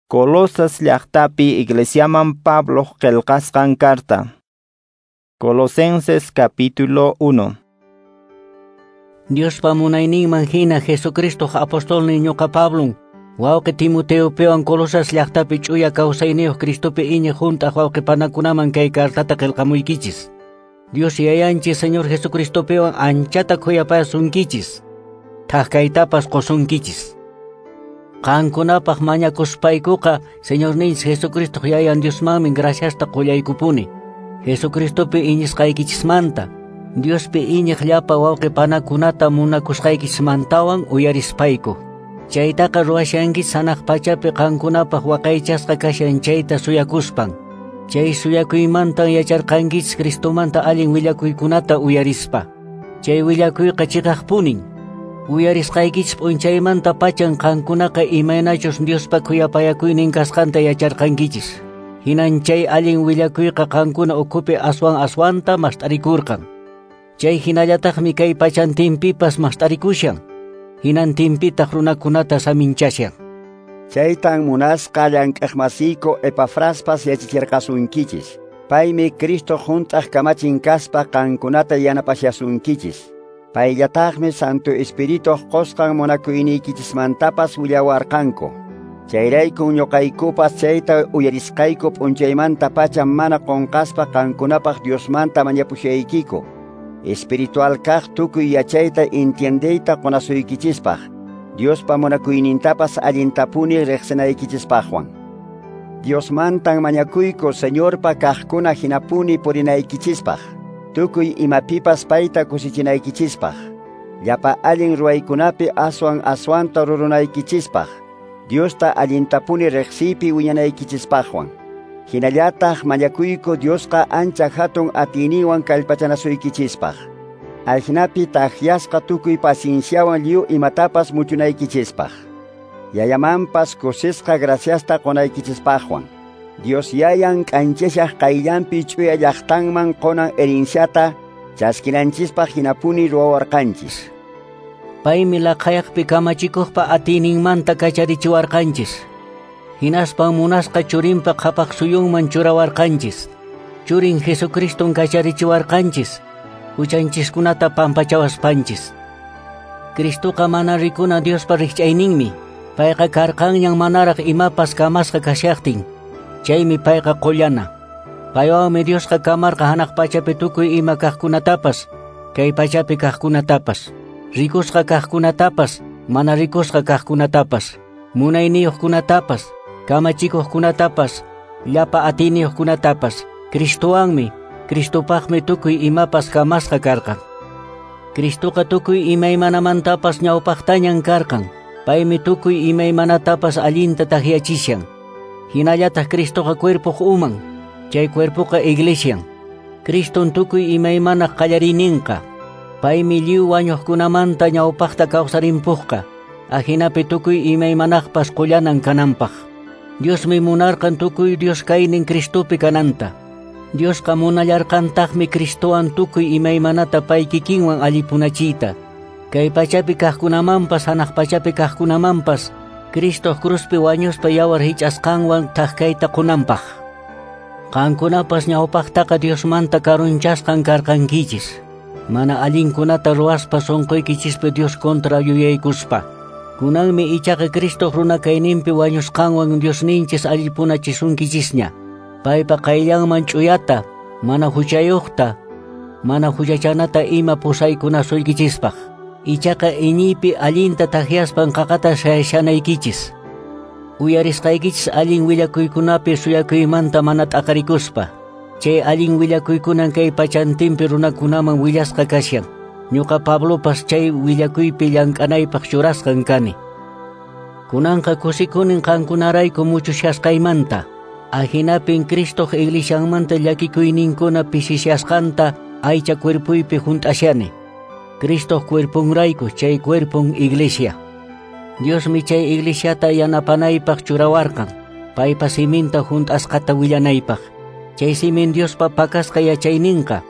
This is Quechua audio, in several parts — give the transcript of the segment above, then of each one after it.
Colosas llaqtapi iglesiaman Pablo qillqasqan carta. Colosenses capítulo 1. Diospa munayninman hina Jesucristo apostolnin ñuqa Pablon, wawqi Timoteopiwan Colosas llaqtapi ch'uya kawsayniyuq Cristopi iñiq hunt'aq wawqipanakunaman kay cartata qillqamuykichis. Dios Yayanchis Señor Jesucristopiwan anchata khuyapasunkichis, thak kaytapas qusunkichis. Qankunapaq mañakuspaykuqa Señorninchis Jesucristo Yayan Diosmanmi graciasta qullaykupuni. Jesucristopi iñisqaykichismanta, Diospi iñiq llapa wawqipanakunata munakusqaykichismantawan uyarispayku. Chaytaqa ruwashankichis hanaq pachapi qankunapaq waqaychasqa kashan chayta suyakuspan. Chay suyakuymantan yacharqankichis Cristomanta allin willakuykunata uyarispa. Chay willakuyqa chiqaqpunin. Uyarisqaykichis p'unchaymanta pachan qankunaqa imaynachus Diospa khuyapayakuynin kasqanta yacharqankichis. Hinan chay allin willakuyqa qankuna ukhupi aswan aswanta mast'arikurqan. Chay hinallataqmi kay pachantinpipas mast'arikushan. Hinantinpitaq runakunata saminchashan. Chaytan munasqa llank'aqmasiyku Epafraspas yachachirqasunkichis. Paymi Cristo hunt'aq kamachin kaspa qankunata yanapashasunkichis. Payllataqmi Santo Espirituq qusqan munakuyniykichismantapas willawarqanku. Chayraykun ñuqaykupas chayta uyarisqayku p'unchaymanta pacha mana qunqaspa qankunapaq Diosmanta mañapushaykiku. Espiritual kaq tukuy yachayta entiendeyta qunasuykichispaq, Diospa munakuynintapas allintapuni riqsinaykichispaqwan. Diosmantan mañakuyku Señorpa kaqkuna hinapuni purinaykichispaq, tukuy imapipas payta kusichinaykichispaq, llapa allin ruwaykunapi aswan aswanta rurunaykichispaq, Diosta allintapuni riqsiypi wiñanaykichispaqwan. Hinallataq mañakuyku Diosqa ancha hatun atiyninwan kallpachanasuykichispaq. Ajinapi takyasqa tukuy pacienciawan lliw imatapas muchunaykichispaq. Yayamanpas kusisqa graciasta qunaykichispaqwan. Dios Yayan k'anchashaq qayllanpi ch'uya llaqtanman qunan herenciata chaskinanchispaq hinapuni ruwawarqanchis. Paymi laqhayaqpi kamachikuqpa atiyninmanta kacharichiwarqanchis. Hinaspan munasqa churinpa qhapaq suyunman churawarqanchis. Churin Jesucriston kacharichiwarqanchis, huchanchiskunata pampachawaspanchis. Cristoqa mana rikuna Diospa rikch'ayninmi. Payqa karqanñan manaraq imapas kamasqa kashaqtin. Chaymi payqa qullana. Paywanmi Diosqa kamarqa hanaq pachapi tukuy ima kaqkunatapas, kay pachapi kaqkunatapas, rikusqa kaqkunatapas, mana rikusqa kaqkunatapas, munayniyuqkunatapas, kamachikuqkunatapas, llapa atiyniyuqkunatapas. Cristowanmi, Cristopaqmi tukuy imapas kamasqa karqan. Cristoqa tukuy imaymanamantapas ñawpaqtañan karqan. Paymi tukuy imaymanatapas allinta takyachishan. Hinallataq Cristoqa cuerpoq uman, chay cuerpoqa iglesian. Criston tukuy imaymanaq qallariyninqa. Paymi lliw wañuqkunamanta ñawpaqta kawsarimpuqqa. Ajinapi tukuy imaymanaqpas qullanan kananpaq. Diosmi munarqan tukuy Dios kaynin Cristopi kananta. Diosqa munallarqantaqmi Cristowan tukuy imaymanata pay kikinwan allipunachiyta. Kay pachapi kaqkunamanpas hanaq pachapi kaqkunamanpas Cristo cruzpi wañuspa yawar hich'asqanwan thak kayta qunanpaq. Qankunapas ñawpaqtaqa Diosmanta karunchasqan karqankichis. Mana allinkunata ruwaspa sunquykichispi Dios kontra yuyaykuspa. Kunanmi ichaqa Cristo runa kayninpi wañusqanwan Diosninchis allipunachisunkichisña. Paypa qayllanman ch'uyata, mana huchayuqta, mana huchachanata ima pusaykunasuykichispaq. Ichaqa iñiypi allinta takyaspan qaqata shashanaykichis. Uyarisqaykichis allin willakuykunapi suyakuymanta mana t'aqarikuspa. Chay allin willakuykunan kay pachantinpi runakunaman willasqa kashan. Ñuqa Pablopas chay willakuypi llank'anaypaq churasqan kani. Kunanqa kusikunin qankunarayku muchushasqaymanta. Ajinapin Cristoq iglesianmanta llakikuyninkuna pisishasqanta aycha cuerpuypi hunt'ashani. Cristoq cuerpunrayku chay cuerpun iglesia. Diosmi chay iglesiata yanapanaypaq churawarqan, paypa siminta hunt'asqata willanaypaq. Chay simin Diospa pakasqa yachayninqa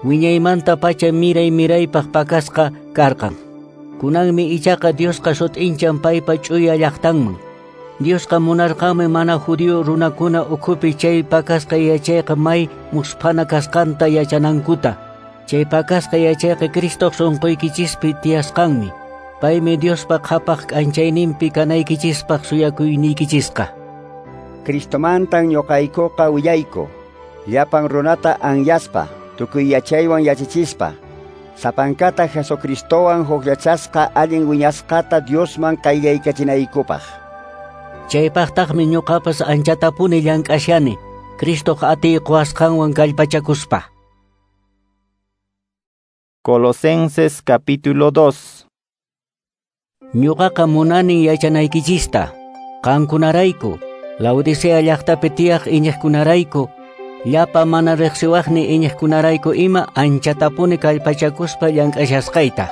wiñaymanta pacha miray miraypaq pakasqa karqan. Kunanmi ichaqa Diosqa sut'inchan paypa ch'uya llaqtanman. Diosqa munarqanmi mana judío runakuna ukhupi chay pakasqa yachayqa may musphana kasqanta yachanankuta. Chay pakasqa yachayqa Cristoq sunquykichispi tiyasqanmi. Paymi Diospa qhapaq k'anchayninpi kanaykichispaq suyakuyniykichisqa. Cristomantan ñuqaykuqa willayku, llapan runata anyaspa, tukuy yachaywan yachachispa, sapankata Jesucristowan hukllachasqa allin wiñasqata Diosman qayllaykachinaykupaq. Chaypaqtaqmi ñuqapas anchatapuni llank'ashani, Cristoq atiy quwasqanwan kallpachakuspa. Colosenses capítulo 2. Ñuqaqa munani yachanaykichista, qankunarayku, Laodicea llaqtapi tiyaq iñiqkunarayku, llapa mana riqsiwaqni iñiqkunarayku ima anchatapuni kallpachakuspa llank'ashasqayta.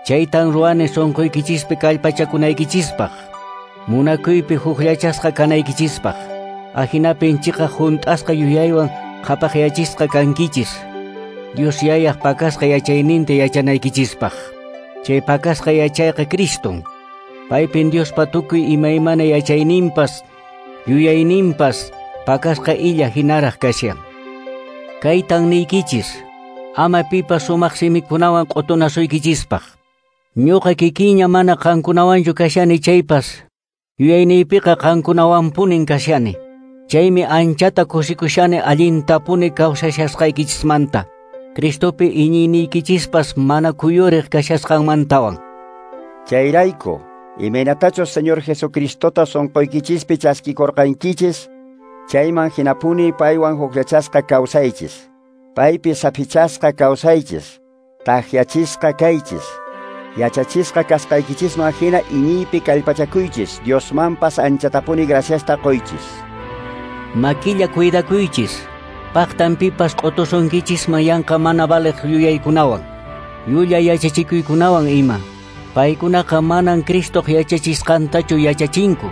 Chaytan ruwani sunquykichispi kallpachakunaykichispaq, munakuypi hukllachasqa kanaykichispaq. Ahinapin chiqaq hunt'asqa yuyaywan qhapaqyachisqa kankichis, Dios yayaq pakasqa yachayninta yachanaykichispaq. Chay pakasqa yachayqa Criston. Paypin Diospa tukuy imaymana yachayninpas, yuyayninpas pakasqa illa hinaraq kashan. Kaytan niykichis, ama pipas sumaq simikunawan q'utunasuykichispaq. Ñuqa kikinña mana qankunawanchu kashani chaypas, yuyayniypiqa qankunawanpunin kashani. Chaymi anchata kusikushani allintapuni kawsashasqaykichismanta, Cristopi iñiyniykichispas mana kuyuriq kashasqanmantawan. Chayrayku, imaynatachus Señor Jesucristota sunquykichispi chaskikurqankichis, chayman hinapuni paywan hukllachasqa kawsaychis, paypi saphichasqa kawsaychis, takyachisqa kaychis, yachachisqa kasqaykichisman hina iñiypi kallpachakuychis, Diosmanpas anchatapuni graciasta quychis. Makilla cuidakuychis, paqtan pipas q'utusunkichisman yanqa mana valiq yuyaykunawan, llulla yachachikuykunawan ima. Paykunaqa manan Cristoq yachachisqantachu yachachinku,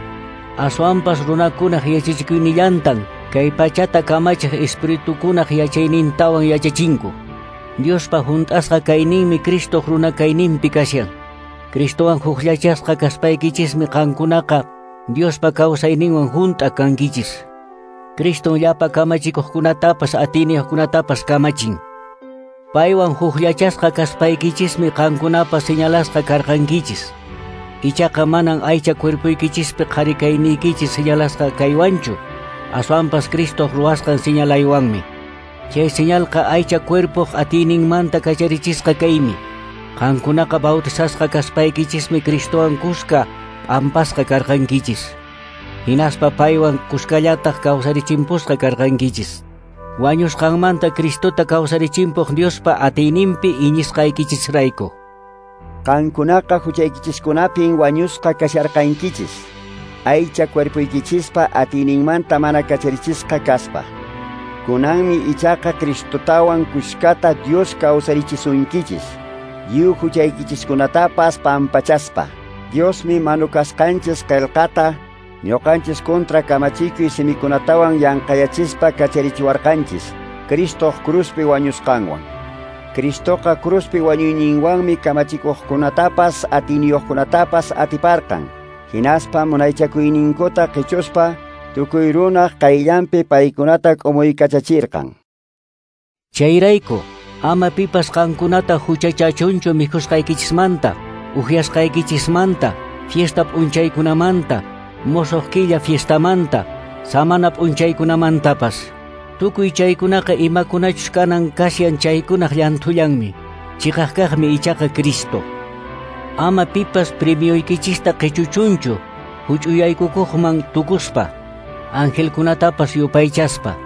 aswanpas runakunaq yachachikuynillantan kay pachata kamachiq espiritukunaq yachaynintawan yachachinku. Diospa hunt'asqa kayninmi Cristoq runa kayninpi kashan. Cristowan hukllachasqa kaspaykichismi qankunaqa Diospa kawsayninwan hunt'a kankichis. Criston llapa kamachikuqkunatapas atiyniyuqkunatapas kamachin. Paywan hukllachasqa kaspaykichismi qankunapas señalasqa karqankichis. Ichaqa manan aycha cuerpoykichispi qhari kayniykichis señalasqa kaywanchu, aswanpas Cristoq ruwasqan señalaywanmi. Chay señalqa aycha cuerpoq atiyninmanta kacharichisqa kaymi. Qankunaqa bautizasqa kaspaykichismi Cristowan kuska p'ampasqa karqankichis. Hinaspa paywan kuskallataq kawsarichimpusqa karqankichis. Wañusqanmanta Cristota kawsarichimpuq Diospa atiyninpi iñisqaykichisrayku. Qankunaqa huchaykichiskunapin wañusqa kasharqankichis, aycha cuerpoykichispa atiyninmanta mana kacharichisqa kaspa. Kunanmi ichaqa Cristotawan kuskata Dios kawsarichisunkichis, lliw huchaykichiskunatapas pampachaspa. Diosmi manukasqanchis qillqata ñuqanchis contra kamachikuy simikunatawan yanqayachispa kacharichiwarqanchis, Cristoq cruzpi wañusqanwan. Cristoqa cruzpi wañuyninwanmi kamachikuqkunatapas atiyniyuqkunatapas atiparqan, hinaspa munaychakuyninkuta qichuspa tukuy runaq qayllanpi paykunata k'umuykachachirqan. Chayrayku, ama pipas qankunata huchachachunchu mikhusqaykichismanta, uhyasqaykichismanta, fiesta p'unchaykunamanta, mosoq killa fiestamanta, samana p'unchaykunamantapas. Tukuy chaykunaqa imakunachus kanan kashan chaykunaq llanthullanmi, chiqaqkaqmi ichaqa Cristo. Ama pipas premioykichista qichuchunchu, huch'uyaykukuqman tukuspa, angelkunatapas yupaychaspa.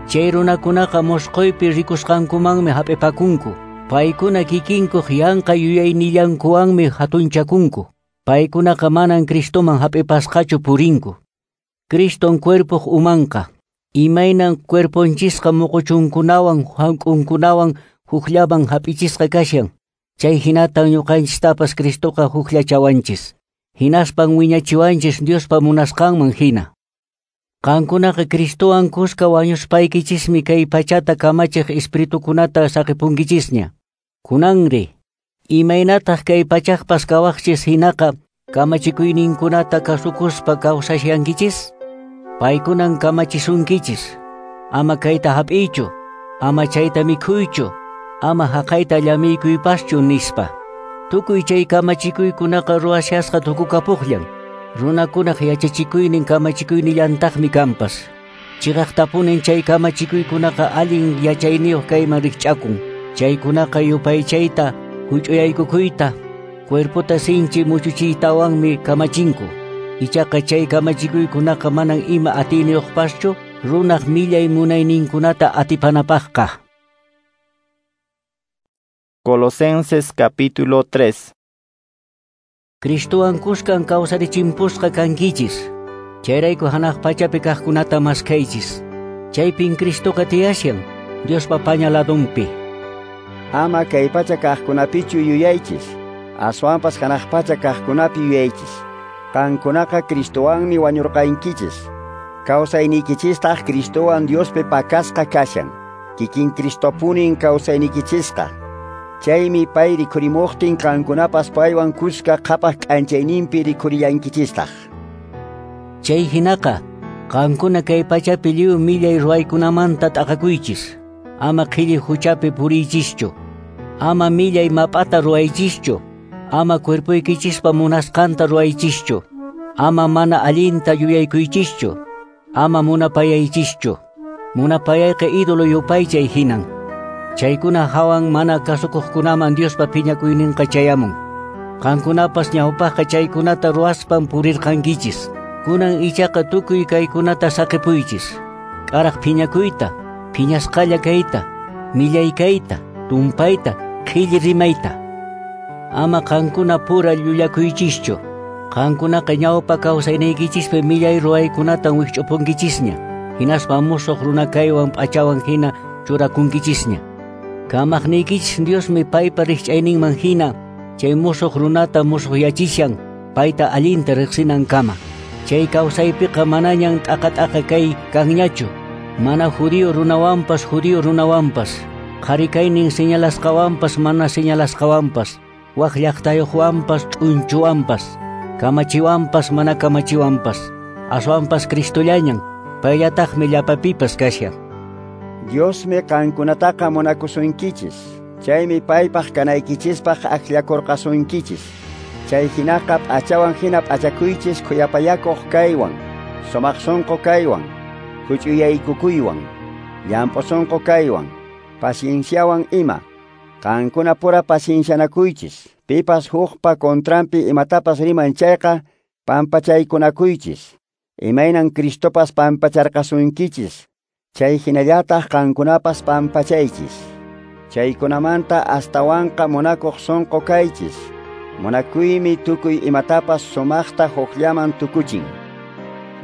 Chay runakunaqa mosqoypi rikusqankumanmi hap'ipakunku, paykuna kikinkuq yanqa yuyaynillankuwanmi hatunchakunku. Paykunaqa manan Cristoman hap'ipasqachu purinku. Criston cuerpoq umanqa, imaynan cuerponchisqa muquchunkunawan hank'unkunawan hukllaman hap'ichisqa kashan, chay hinatan ñuqanchistapas Cristoqa hukllachawanchis. Hinaspan wiñachiwanchis Diospa munasqanman hina. Qankunaqa Cristowan kuska wañuspaykichismi kay pachata kamachiq espiritukunata saqipunkichisña. Kunanri, imaynataq kay pachaqpas kawaqchis hinaqa kamachikuyninkunata kasukuspa kawsashankichis? Paykunan kamachisunkichis. Ama kayta hap'iychu, ama chayta mikhuychu, ama haqayta llamikuypaschu nispa. Tukuy chay kamachikuykunaqa ruwashasqa tukukapuqllan. Runakunaq yachachikuynin kamachikuynillantaqmi kanpas. Chiqaqtapunin chay kamachikuykunaqa allin yachayniyuq kayman rikch'akun. Chaykunaqa yupaychayta, huch'uyaykukuyta, cuerpota sinchi muchuchiytawanmi kamachinku. Ichaqa chay kamachikuykunaqa manan ima atiyniyuqpaschu runaq millay munayninkunata atipanapaqqa. Colosenses capítulo 3. Cristowan kuskan kawsarichimpusqa kankichis. Chayrayku hanaq pachapi kaqkunata maskhaychis. Chaypin Cristoqa tiyashan, Diospa paña ladunpi. Ama kay pacha kaqkunapichu yuyaychis, aswanpas hanaq pacha kaqkunapi yuyaychis. Qankunaqa Cristowanmi wañurqankichis. Kawsaynikichistaq Cristowan Diospi pakasqa kashan. Kikin Cristopunin kawsaynikichisqa. Chaymi pay rikhurimuqtin qankunapas paywan kuska qhapaq k'anchayninpi rikhuriyankichistaq. Chay hinaqa, qankuna kay pachapi lliw millay ruwaykunamanta t'aqakuychis. Ama qhilli huchapi puriychischu. Ama millay map'ata ruwaychischu. Ama cuerpoykichispa munasqanta ruwaychischu. Ama mana allinta yuyaykuychischu. Ama munapayaychischu. Munapayayqa ídolo yupaychay hinan. Chaykuna hawan mana kasukuqkunaman Diospa phiñakuyninqa chayamun. Qankunapas ñawpaqqa chaykunata ruwaspan purirqankichis. Kunan ichaqa tukuy kaykunata saqipuychis. K'araq phiñakuyta, phiñasqalla kayta, millay kayta, tumpayta, qhilli rimayta. Ama qankuna pura llullakuychischu. Qankunaqa ñawpa kawsayniykichispi millay ruwaykunatan wikch'upunkichisña. Hinaspa musuq runa kaywan p'achawan hina churakunkichisña. Kamaqniykichis Diosmi paypa rikch'ayninman hina chay musuq runata musuqyachishan payta allinta riqsinankama. Chay kawsaypiqa manañan t'aqa-t'aqa kay kanñachu. Mana judío runawanpas judío runawanpas, qhari kaynin señalasqawanpas mana señalasqawanpas, wak llaqtayuqwanpas ch'unchuwanpas, kamachiwanpas mana kamachiwanpas, aswanpas Cristollañan, payllataqmi llapapipas kashan. Diosmi qankunataqa munakusunkichis. Chaymi paypaq kanaykichispaq akllakurqasunkichis. Chay hinaqa p'achawan hina p'achakuychis khuyapayakuq kaywan, sumaq sunqu kaywan, huch'uyaykukuywan, llamp'u sunqu kaywan, pacienciawan ima. Qankuna pura paciencianakuychis. Pipas hukpa contranpi imatapas riman chayqa pampachaykunakuychis. Imaynan Cristopas pampacharqasunkichis. Chay hinallataq qankunapas pampachaychis. Chaykunamanta astawanqa munakuq sunqu kaychis. Munakuymi tukuy imatapas sumaqta hukllaman tukuchin.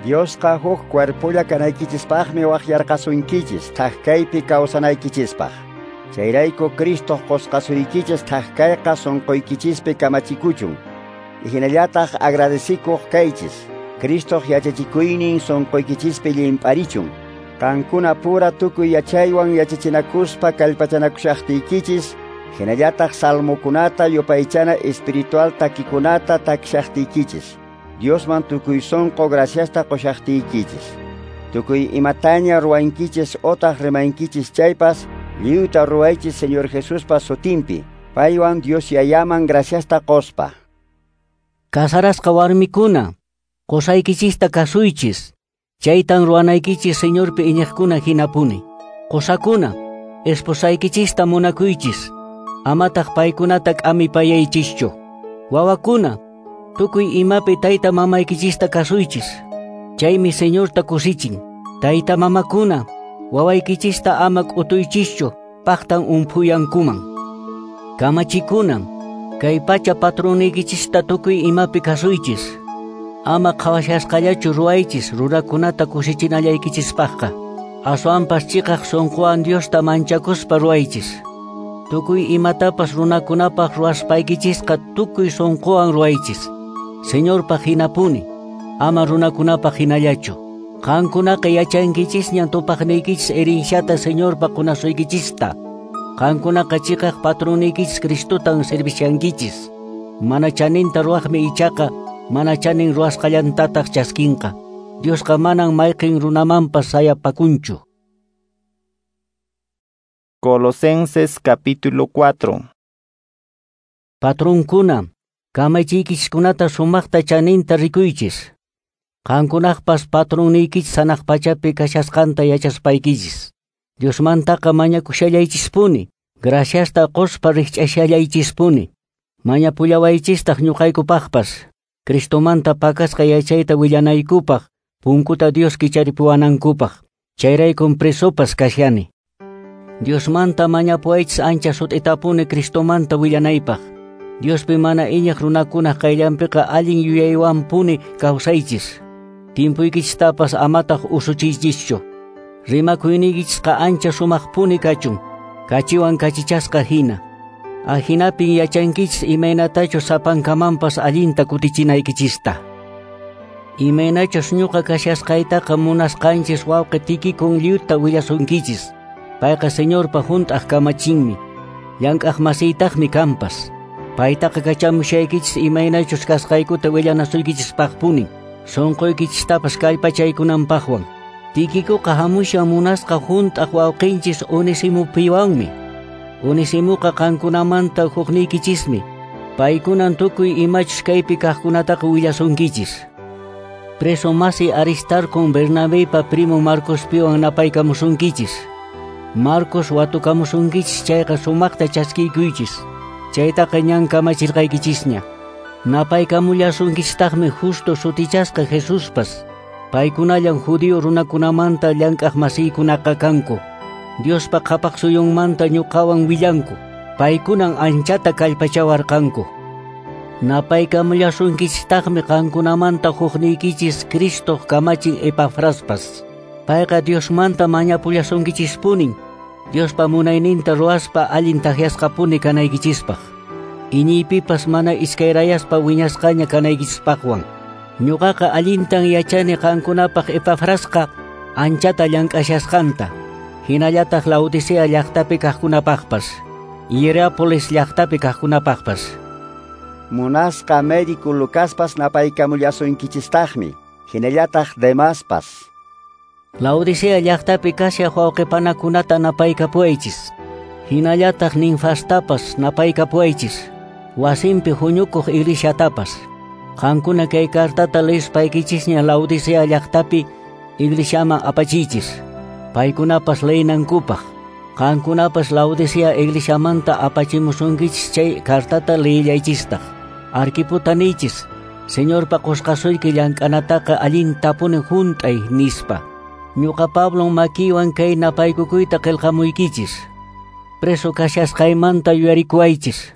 Diosqa huk cuerpolla kanaykichispaqmi waqyarqasunkichis thak kaypi kawsanaykichispaq. Chayrayku Cristo qusqasuykichis thak kayqa sunquykichispi kamachikuchun. Hinallataq agradecikuq kaychis. Cristoq yachachikuynin sunquykichispi llimp'arichun. Qankuna pura tukuy yachaywan yachachinakuspa kallpachanakushaqtiykichis, hinallataq salmokunata yupaychana espiritual takikunata takishaqtiykichis. Diosman tukuy sunqu graciasta qushaqtiykichis. Tukuy imataña ruwankichis otaq rimankichis chaypas, lliwta ruwaychis Señor Jesuspa sutinpi, paywan Dios Yayaman graciasta quspa. Kasarasqa warmikuna, qusaykichista kasuychis. Chaytan ruwanaykichis Señorpi iñiqkuna hinapuni. Qusakuna, esposaykichista munakuychis. Amataq paykunata k'amipayaychischu. Wawakuna, tukuy imapi tayta mamaykichista kasuychis. Chaymi Señorta kusichin. Tayta mamakuna, wawaykichista ama k'utuychischu, paqtan umphuyankuman. Kamachikuna, kay pacha patroniykichista tukuy imapi kasuychis. Ama qhawashasqallachu ruwaychis runakunata kusichinallaykichispaqqa. Aswanpas chiqaq sunquwan Diosta manchakuspa ruwaychis. Tukuy imatapas runakunapaq ruwaspaykichisqa tukuy sunquwan ruwaychis. Señorpaq hinapuni, ama runakunapaq hinallachu. Qankunaqa yachankichisñan tupaqniykichis herenciata Señorpa qunasuykichista. Qankunaqa chiqaq patroniykichis Cristotan servishankichis. Mana chaninta ruwaqmi ichaqa mana chanin ruwasqallantataq chaskinqa. Diosqa manan mayqin runamanpas sayapakunchu. Colosenses capítulo 4. Patronkuna, kamachiykichiskunata sumaqta chaninta rikuychis. Qankunaqpas patronniykichis hanaq pachapi kashasqanta yachaspaykichis. Diosmantaqa mañakushallaychispuni, graciasta qospa rikch'ashallaychispuni. Mañapullawaychistaq ñuqaykupaqpas, Cristomanta pakasqa yachayta willanaykupaq, punkuta Dios kicharipuwanankupaq. Chayraykun presopas kashani. Diosmanta mañapuwaychis ancha sut'itapuni Cristomanta willanaypaq. Diospi mana iñiq runakunaq qayllanpiqa allin yuyaywanpuni kawsaychis. Timpuykichistapas amataq usuchiychischu. Rimakuyniykichisqa ancha sumaqpuni kachun, kachiwan kachichasqa hina. Ahinapin yachankichis imaynatachus sapankamanpas allinta kutichinaykichista. Imaynachus ñuqa kashasqaytaqa munasqanchis wawqi Tikikun lliwta willasunkichis. Payqa Señorpa hunt'aq kamachinmi, llank'aq masiytaqmi kanpas. Paytaqa kachamushaykichis imaynachus kasqaykuta willanasuykichispaqpuni, sunquykichistapas kallpachaykunanpaqwan. Tikikuqa hamushan munasqa hunt'aq wawqinchis Onesimupiwanmi. Onesimuqa qankunamanta hukniykichismi. Paykunan tukuy imachus kaypi kaqkunataqa willasunkichis. Preso masi Aristarcon Bernabeypa primo Marcospiwan napaykamusunkichis. Marcos watukamusunkichis chayqa sumaqta chaskiykuychis. Chaytaqa ñan kamachirqaykichisña. Napaykamullasunkichistaqmi Justo sutichasqa Jesuspas. Paykunallan judío runakunamanta llank'aq masiykunaqa kanku. Diospa qhapaq suyunmanta ñuqawan willanku. Paykunan anchata kallpachawarqanku. Napaykamullasunkichistaqmi qankunamanta hukniykichis Cristoq kamachin Epafraspas. Payqa Diosmanta mañapullasunkichispunin, Diospa munayninta ruwaspa allin takyasqapuni kanaykichispaq. Iñiypipas mana iskayrayaspa wiñasqaña kanaykichispaqwan. Ñuqaqa allintan yachani qankunapaq Epafrasqa anchata llank'ashasqanta. Hinallataq Laodicea llaqtapi kaqkunapaqpas, Hierápolis llaqtapi kaqkunapaqpas. Munasqa médico Lucaspas napaykamullasunkichistaqmi, hinallataq Demaspas. Laodicea llaqtapi kashaq wawqipanakunata napaykapuwaychis. Hinallataq Ninfastapas napaykapuwaychis. Wasinpi huñukuq iglesiatapas. Qankuna kay cartata leyspaykichisña Laodicea llaqtapi iglesiaman apachiychis. Paykunapas leynankupaq. Qankunapas Laodicea iglesiamanta apachimusunkichis chay cartata leyillaychistaq. Arquiputa niychis, Señorpa qusqasuyki llank'anataqa allintapuni hunt'ay nispa. Ñuqa Pablon makiywan kay napaykukuyta qillqamuykichis. Preso kashasqaymanta yuyarikuwaychis.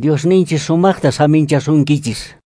Diosninchis sumaqta saminchasunkichis.